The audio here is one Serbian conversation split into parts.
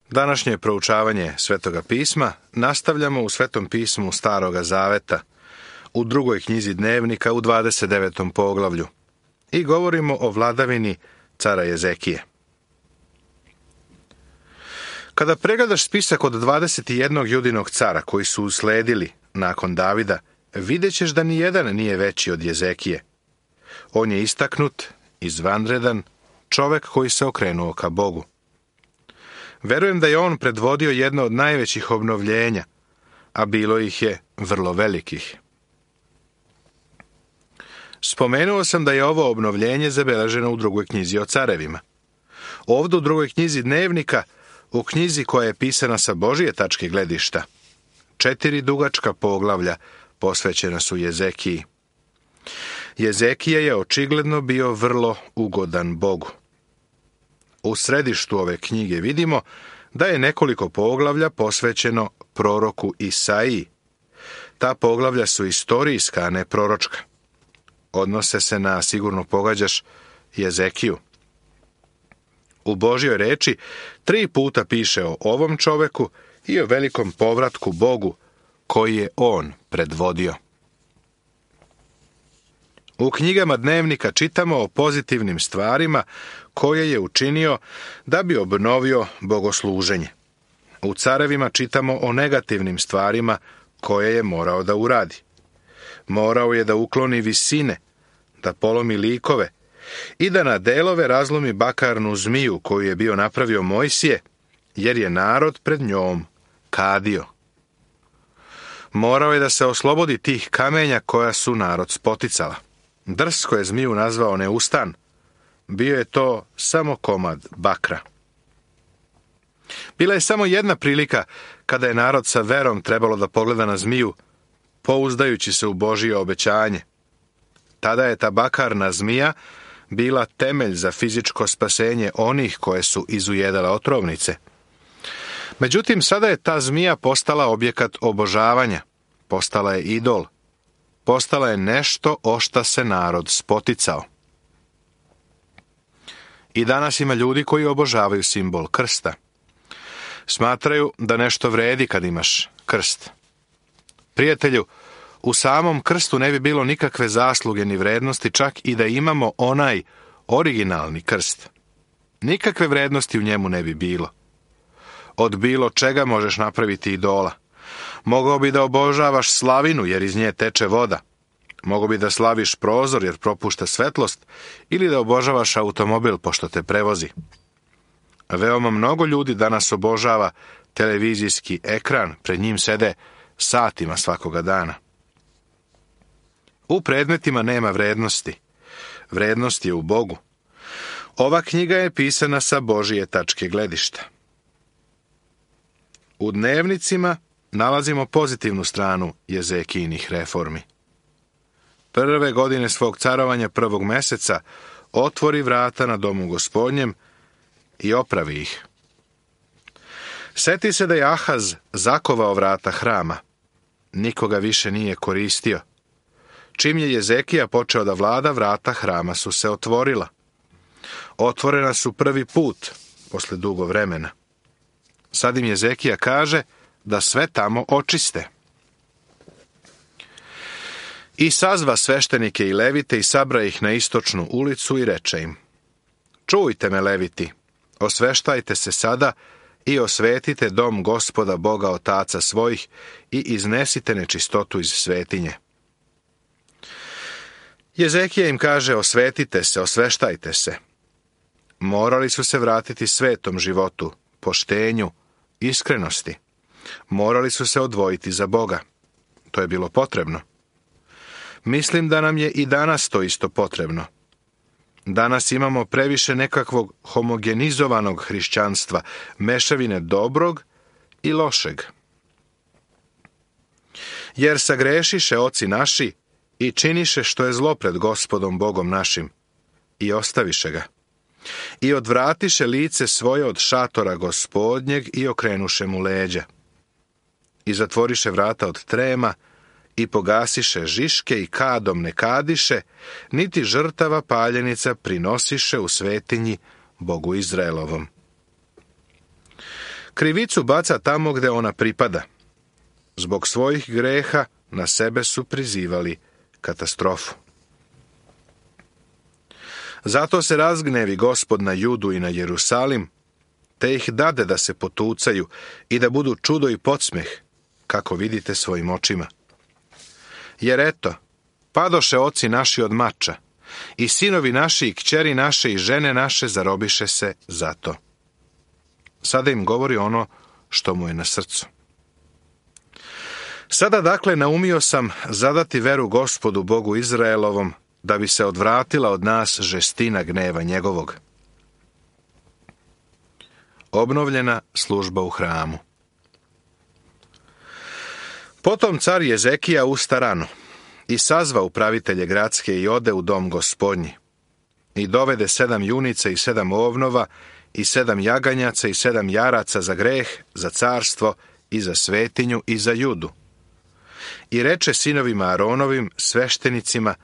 Današnje proučavanje Svetoga pisma nastavljamo u Svetom pismu Staroga Zaveta, u drugoj knjizi Dnevnika u 29. poglavlju i govorimo o vladavini cara Jezekije. Kada pregledaš spisak od 21 Judinog cara koji su usledili nakon Davida, vidjet ćeš da nijedan nije veći od Jezekije. On je istaknut, izvanredan, čovek koji se okrenuo ka Bogu. Verujem da je on predvodio jedno od najvećih obnovljenja, a bilo ih je vrlo velikih. Spomenuo sam da je ovo obnovljenje zabeleženo u drugoj knjizi o carevima. Ovdje u drugoj knjizi Dnevnika, u knjizi koja je pisana sa Božije tačke gledišta, 4 dugačka poglavlja posvećena su Jezekiji. Jezekija je očigledno bio vrlo ugodan Bogu. U središtu ove knjige vidimo da je nekoliko poglavlja posvećeno proroku Isaiji. Ta poglavlja su istorijska, a ne proročka. Odnose se na, sigurno pogađaš, Jezekiju. U Božjoj reči 3 puta piše o ovom čoveku i o velikom povratku Bogu koji je on predvodio. U knjigama Dnevnika čitamo o pozitivnim stvarima koje je učinio da bi obnovio bogosluženje. U carevima čitamo o negativnim stvarima koje je morao da uradi. Morao je da ukloni visine, da polomi likove i da na delove razlomi bakarnu zmiju koju je bio napravio Mojsije, jer je narod pred njom kadio. Morao je da se oslobodi tih kamenja koja su narod spoticala. Drsko je zmiju nazvao neustan. Bio je to samo komad bakra. Bila je samo jedna prilika kada je narod sa verom trebalo da pogleda na zmiju, pouzdajući se u Božije obećanje. Tada je ta bakarna zmija bila temelj za fizičko spasenje onih koje su izujedale otrovnice. Međutim, sada je ta zmija postala objekat obožavanja, postala je idol, postala je nešto o šta se narod spoticao. I danas ima ljudi koji obožavaju simbol krsta. Smatraju da nešto vredi kad imaš krst. Prijatelju, u samom krstu ne bi bilo nikakve zasluge ni vrednosti, čak i da imamo onaj originalni krst. Nikakve vrednosti u njemu ne bi bilo. Od bilo čega možeš napraviti idola. Mogao bi da obožavaš slavinu jer iz nje teče voda. Mogao bi da slaviš prozor jer propušta svetlost ili da obožavaš automobil pošto te prevozi. Veoma mnogo ljudi danas obožava televizijski ekran, pred njim sede satima svakoga dana. U predmetima nema vrednosti. Vrednost je u Bogu. Ova knjiga je pisana sa Božije tačke gledišta. U Dnevnicima nalazimo pozitivnu stranu Jezekijinih reformi. Prve godine svog carovanja 1. meseca otvori vrata na domu Gospodnjem i opravi ih. Seti se da je Ahaz zakovao vrata hrama. Nikoga više nije koristio. Čim je Jezekija počeo da vlada, vrata hrama su se otvorila. Otvorena su prvi put, posle dugo vremena. Sad im Jezekija kaže da sve tamo očiste. I sazva sveštenike i levite i sabra ih na istočnu ulicu i reče im: Čujte me, leviti, osveštajte se sada i osvetite dom Gospoda Boga otaca svojih i iznesite nečistotu iz svetinje. Jezekija im kaže: osvetite se, osveštajte se. Morali su se vratiti svetom životu, poštenju, iskrenosti. Morali su se odvojiti za Boga. To je bilo potrebno. Mislim da nam je i danas to isto potrebno. Danas imamo previše nekakvog homogenizovanog hrišćanstva, mešavine dobrog i lošeg. Jer sagrešiše oci naši i činiše što je zlo pred Gospodom Bogom našim i ostaviše ga. I odvratiše lice svoje od šatora Gospodnjeg i okrenuše mu leđa. I zatvoriše vrata od trema i pogasiše žiške i kadom ne kadiše, niti žrtava paljenica prinosiše u svetinji Bogu Izraelovom. Krivicu baca tamo gde ona pripada. Zbog svojih greha na sebe su prizivali katastrofu. Zato se razgnevi Gospod na Judu i na Jerusalim, te ih dade da se potucaju i da budu čudo i podsmeh, kako vidite svojim očima. Jer eto, padoše oci naši od mača, i sinovi naši i kćeri naše i žene naše zarobiše se za to. Sada im govori ono što mu je na srcu. Sada dakle naumio sam zadati veru Gospodu Bogu Izraelovom, da bi se odvratila od nas žestina gneva njegovog. Obnovljena služba u hramu. Potom car Jezekija usta rano i sazva upravitelje gradske i ode u dom Gospodnji. I dovede 7 junica i 7 ovnova i 7 jaganjaca i 7 jaraca za greh, za carstvo i za svetinju i za Judu. I reče sinovima Aronovim, sveštenicima,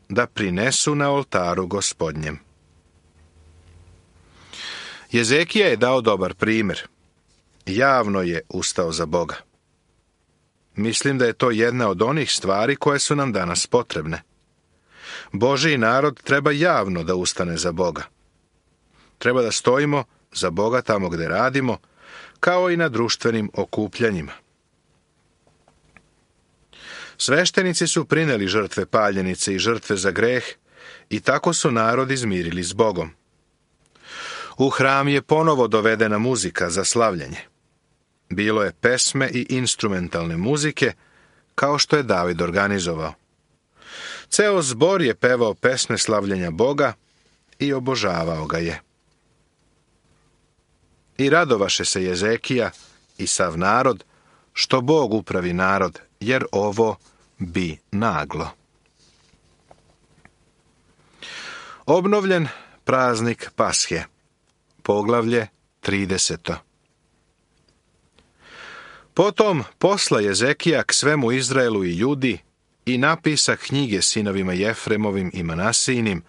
da prinesu na oltaru Gospodnjem. Jezekija je dao dobar primjer. Javno je ustao za Boga. Mislim da je to jedna od onih stvari koje su nam danas potrebne. Božji narod treba javno da ustane za Boga. Treba da stojimo za Boga tamo gde radimo, kao i na društvenim okupljanjima. Sveštenici su prineli žrtve paljenice i žrtve za greh i tako su narod izmirili s Bogom. U hram je ponovo dovedena muzika za slavljenje. Bilo je pesme i instrumentalne muzike, kao što je David organizovao. Ceo zbor je pevao pesme slavljenja Boga i obožavao ga je. I radovaše se Jezekija i sav narod, što Bog upravi narod, jer ovo bi naglo. Obnovljen praznik Pashe. Poglavlje 30. Potom posla Jezekija k svemu Izraelu i Judi i napisa knjige sinovima Jefremovim i Manasijinim,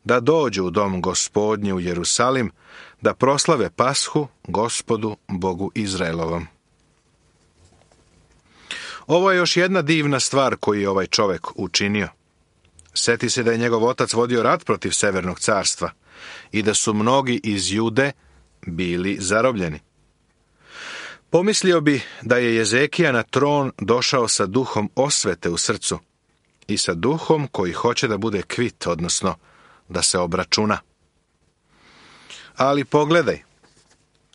da dođu u dom Gospodnji u Jerusalim, da proslave Pashu Gospodu Bogu Izraelovom. Ovo je još jedna divna stvar koju je ovaj čovek učinio. Seti se da je njegov otac vodio rat protiv Severnog carstva i da su mnogi iz Jude bili zarobljeni. Pomislio bi da je Jezekija na tron došao sa duhom osvete u srcu i sa duhom koji hoće da bude kvit, odnosno da se obračuna. Ali pogledaj,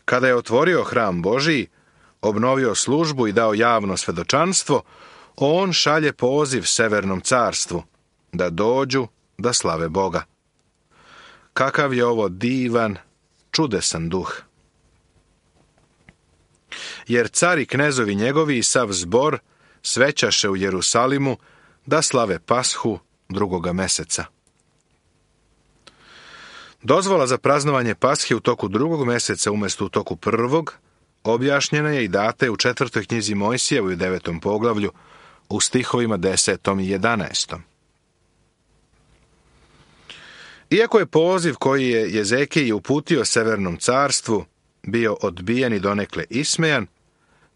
kada je otvorio hram Božiji, obnovio službu i dao javno svedočanstvo, on šalje poziv Severnom carstvu da dođu da slave Boga. Kakav je ovo divan, čudesan duh. Jer car i knezovi njegovi i sav zbor svećaše u Jerusalimu da slave Pashu 2. meseca. Dozvola za praznovanje Pashe u toku 2. meseca umjesto u toku 1. objašnjena je i data je u 4. knjizi Mojsijevoj u 9. poglavlju u stihovima 10. i 11. Iako je poziv koji je Jezekiji uputio Severnom carstvu bio odbijen i donekle ismejan,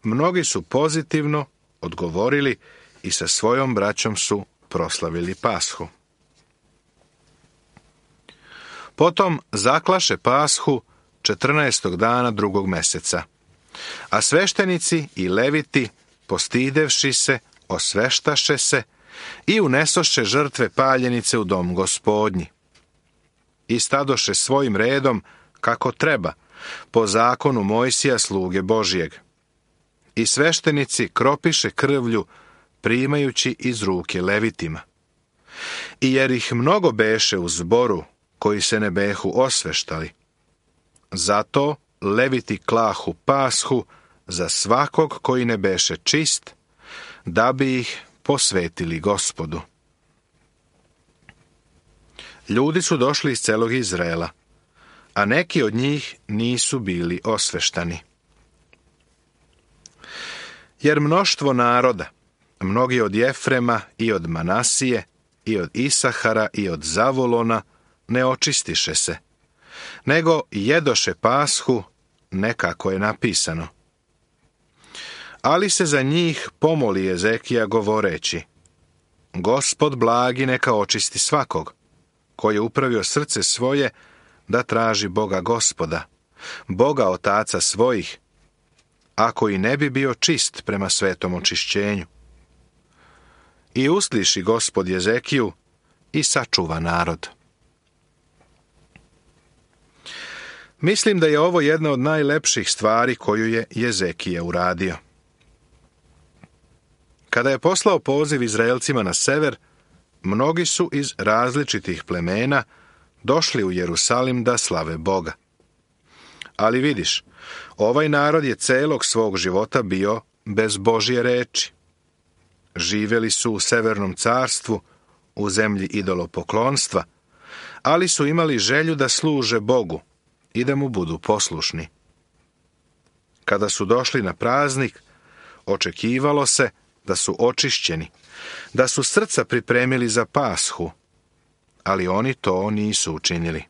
mnogi su pozitivno odgovorili i sa svojom braćom su proslavili Pashu. Potom zaklaše Pashu 14. dana 2. meseca, a sveštenici i leviti, postidevši se, osveštaše se i unesoše žrtve paljenice u dom Gospodnji. I stadoše svojim redom kako treba, po zakonu Mojsija sluge Božijeg. I sveštenici kropiše krvlju, primajući iz ruke levitima. I jer ih mnogo beše u zboru, koji se ne behu osveštali. Zato leviti klahu Pashu za svakog koji ne beše čist, da bi ih posvetili Gospodu. Ljudi su došli iz celog Izraela, a neki od njih nisu bili osveštani. Jer mnoštvo naroda, mnogi od Jefrema i od Manasije i od Isahara i od Zavolona, ne očistiše se, nego jedoše Pashu ne kako je napisano. Ali se za njih pomoli Ezekija govoreći: Gospod blagi neka očisti svakog, koji je upravio srce svoje da traži Boga Gospoda, Boga otaca svojih, ako i ne bi bio čist prema svetom očišćenju. I usliši Gospod Ezekiju i sačuva narod. Mislim da je ovo jedna od najlepših stvari koju je Ezekija uradio. Kada je poslao poziv Izraelcima na sever, mnogi su iz različitih plemena došli u Jerusalim da slave Boga. Ali vidiš, ovaj narod je celog svog života bio bez Božje reči. Živjeli su u severnom carstvu, u zemlji idolopoklonstva, ali su imali želju da služe Bogu i da mu budu poslušni. Kada su došli na praznik, očekivalo se da su očišćeni, da su srca pripremili za Pashu, ali oni to nisu učinili.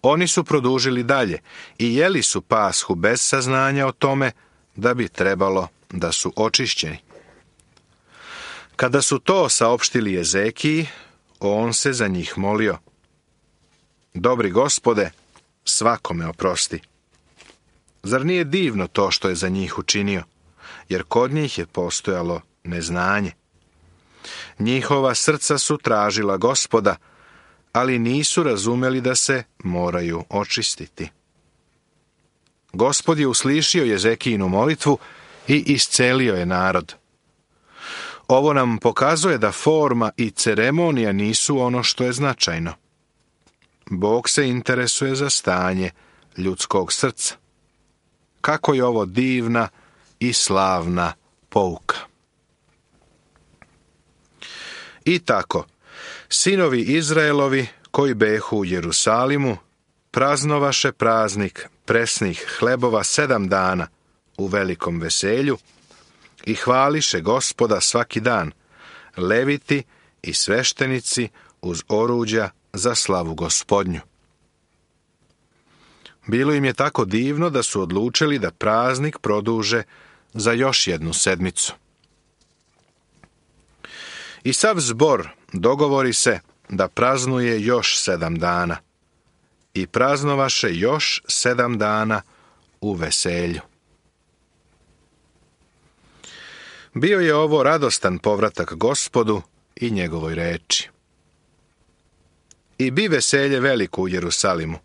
Oni su produžili dalje i jeli su Pashu bez saznanja o tome da bi trebalo da su očišćeni. Kada su to saopštili Ezekiji, on se za njih molio: Dobri Gospode, svakome oprosti. Zar nije divno to što je za njih učinio? Jer kod njih je postojalo neznanje. Njihova srca su tražila Gospoda, ali nisu razumeli da se moraju očistiti. Gospod je uslišio Ezekijinu molitvu i iscelio je narod. Ovo nam pokazuje da forma i ceremonija nisu ono što je značajno. Bog se interesuje za stanje ljudskog srca. Kako je ovo divna i slavna pouka. I tako, sinovi Izraelovi koji behu u Jerusalimu praznovaše praznik presnih hlebova 7 dana u velikom veselju i hvališe Gospoda svaki dan, leviti i sveštenici uz oruđa za slavu Gospodnju. Bilo im je tako divno da su odlučili da praznik produže za još 1 sedmicu. I sav zbor dogovori se da praznuje još 7 dana i praznovaše još 7 dana u veselju. Bio je ovo radostan povratak Gospodu i njegovoj reči. I bi veselje veliko u Jerusalimu,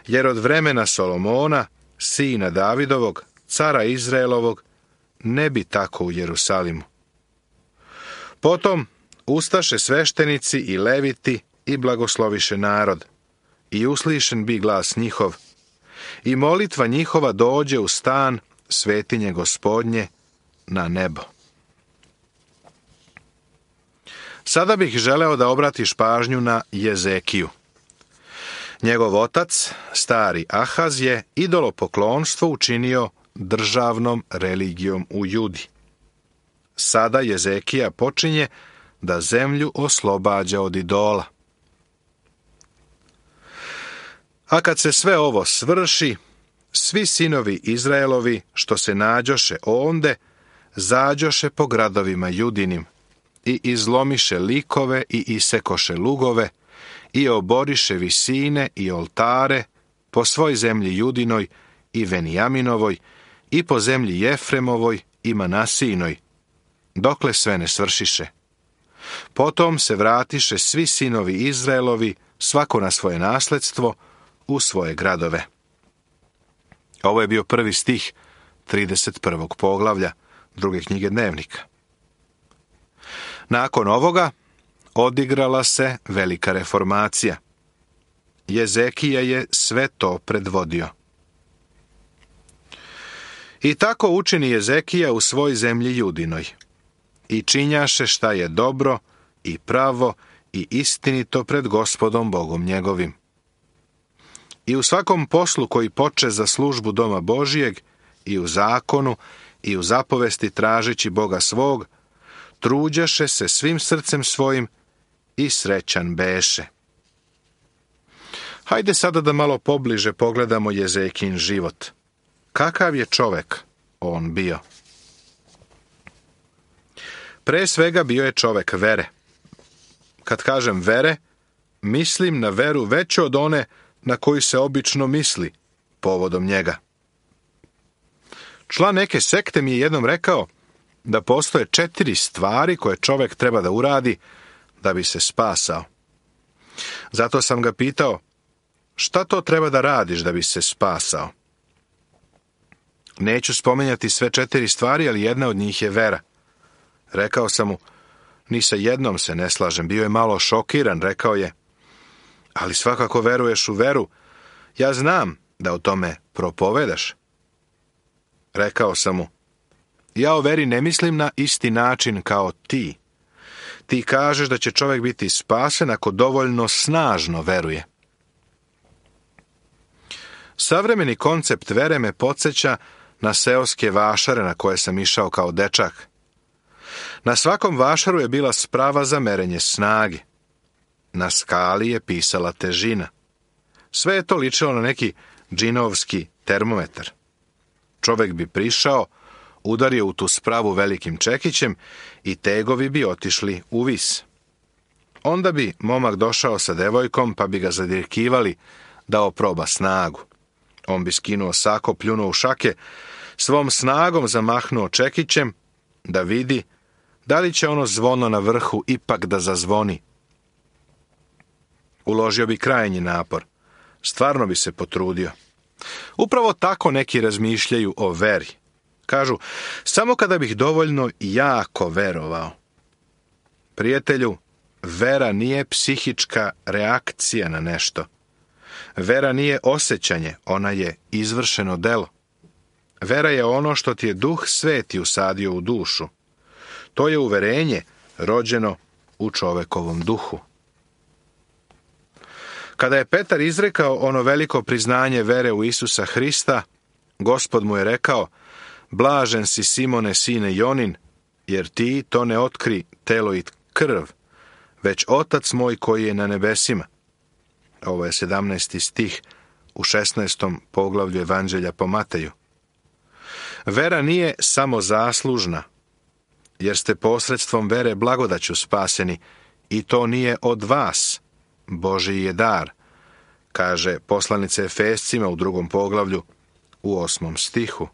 jer od vremena Solomona, sina Davidovog, cara Izraelovog, ne bi tako u Jerusalimu. Potom ustaše sveštenici i leviti i blagosloviše narod, i uslišen bi glas njihov, i molitva njihova dođe u stan svetinje Gospodnje na nebo. Sada bih želeo da obratiš pažnju na Ezekiju. Njegov otac, stari Ahaz, je idolopoklonstvo učinio državnom religijom u Judi. Sada Ezekija počinje da zemlju oslobađa od idola. A kad se sve ovo svrši, svi sinovi Izraelovi što se nađoše onde, zađoše po gradovima Judinim i izlomiše likove i isekoše lugove i oboriše visine i oltare po svoj zemlji Judinoj i Venijaminovoj i po zemlji Jefremovoj i Manasijinoj, dokle sve ne svršiše. Potom se vratiše svi sinovi Izraelovi, svako na svoje nasledstvo, u svoje gradove. Ovo je bio prvi stih 31. poglavlja 2. knjige Dnevnika. Nakon ovoga odigrala se velika reformacija. Ezekija je sve to predvodio. I tako učini Ezekija u svoj zemlji Judinoj. I činjaše šta je dobro i pravo i istinito pred Gospodom Bogom njegovim. I u svakom poslu koji poče za službu doma Božijeg, i u zakonu, i u zapovesti tražeći Boga svog, truđaše se svim srcem svojim i srećan beše. Hajde sada da malo pobliže pogledamo Jezekin život. Kakav je čovek on bio? Pre svega bio je čovek vere. Kad kažem vere, mislim na veru veću od one na koju se obično misli povodom njega. Član neke sekte mi je jednom rekao da postoje 4 stvari koje čovek treba da uradi da bi se spasao. Zato sam ga pitao, šta to treba da radiš da bi se spasao? Neću spomenjati sve 4 stvari, ali jedna od njih je vera. Rekao sam mu, ni sa jednom se ne slažem. Bio je malo šokiran, rekao je, ali svakako veruješ u veru. Ja znam da o tome propovedaš. Rekao sam mu, ja o veri ne mislim na isti način kao ti. Ti kažeš da će čovjek biti spasen ako dovoljno snažno veruje. Savremeni koncept vere me podsjeća na seoske vašare na koje sam išao kao dečak. Na svakom vašaru je bila sprava za merenje snage. Na skali je pisala težina. Sve je to ličilo na neki džinovski termometar. Čovjek bi prišao, udario u tu spravu velikim čekićem i tegovi bi otišli u vis. Onda bi momak došao sa devojkom pa bi ga zadirkivali da oproba snagu. On bi skinuo sako, pljunuo u šake, svom snagom zamahnuo čekićem da vidi da li će ono zvono na vrhu ipak da zazvoni. Uložio bi krajnji napor. Stvarno bi se potrudio. Upravo tako neki razmišljaju o veri. Kažu, samo kada bih dovoljno jako verovao. Prijatelju, vera nije psihička reakcija na nešto. Vera nije osjećanje, ona je izvršeno delo. Vera je ono što ti je Duh Sveti usadio u dušu. To je uverenje rođeno u čovekovom duhu. Kada je Petar izrekao ono veliko priznanje vere u Isusa Hrista, Gospod mu je rekao, blažen si Simone, sine Jonin, jer ti to ne otkri telo i krv, već Otac moj koji je na nebesima. Ovo je 17. stih u 16. poglavlju Evanđelja po Mateju. Vera nije samo zaslužna, jer ste posredstvom vere blagodaću spaseni, i to nije od vas, Božji je dar, kaže poslanica Efescima u 2. poglavlju u 8. stihu.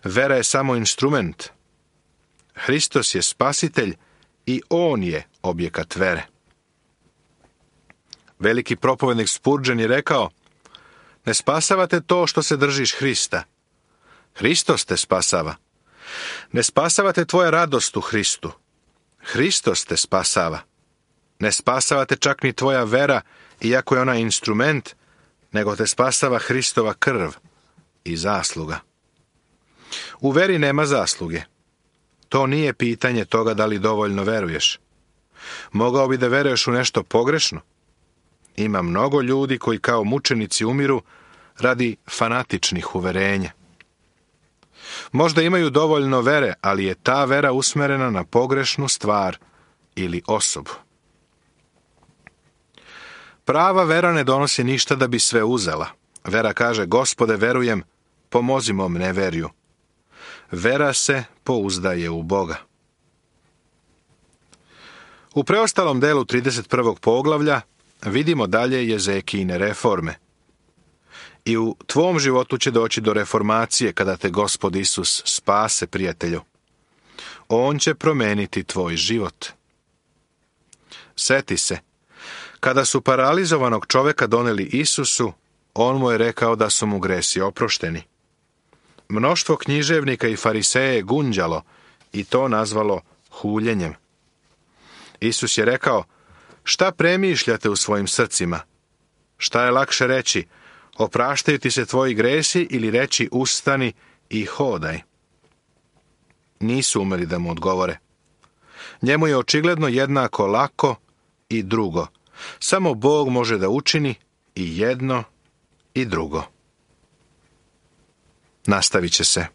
Vera je samo instrument. Hristos je spasitelj i on je objekat vere. Veliki propovednik Spurgeon je rekao, ne spasavate to što se držiš Hrista. Hristos te spasava. Ne spasavate tvoja radost u Hristu. Hristos te spasava. Ne spasavate čak ni tvoja vera, iako je ona instrument, nego te spasava Hristova krv i zasluga. U veri nema zasluge. To nije pitanje toga da li dovoljno veruješ. Mogao bi da veruješ u nešto pogrešno. Ima mnogo ljudi koji kao mučenici umiru radi fanatičnih uverenja. Možda imaju dovoljno vere, ali je ta vera usmerena na pogrešnu stvar ili osobu. Prava vera ne donosi ništa da bi sve uzela. Vera kaže, Gospode, verujem, pomozi mom neverju. Vera se pouzdaje u Boga. U preostalom delu 31. poglavlja vidimo dalje Jezekijine reforme. I u tvom životu će doći do reformacije kada te Gospod Isus spase, prijatelju. On će promeniti tvoj život. Seti se, kada su paralizovanog čoveka doneli Isusu, on mu je rekao da su mu gresi oprošteni. Mnoštvo književnika i fariseja je gunđalo i to nazvalo huljenjem. Isus je rekao, šta premišljate u svojim srcima? Šta je lakše reći, opraštaju ti se tvoji gresi ili reći ustani i hodaj? Nisu umeli da mu odgovore. Njemu je očigledno jednako lako i drugo. Samo Bog može da učini i jedno i drugo. Nastavit će se.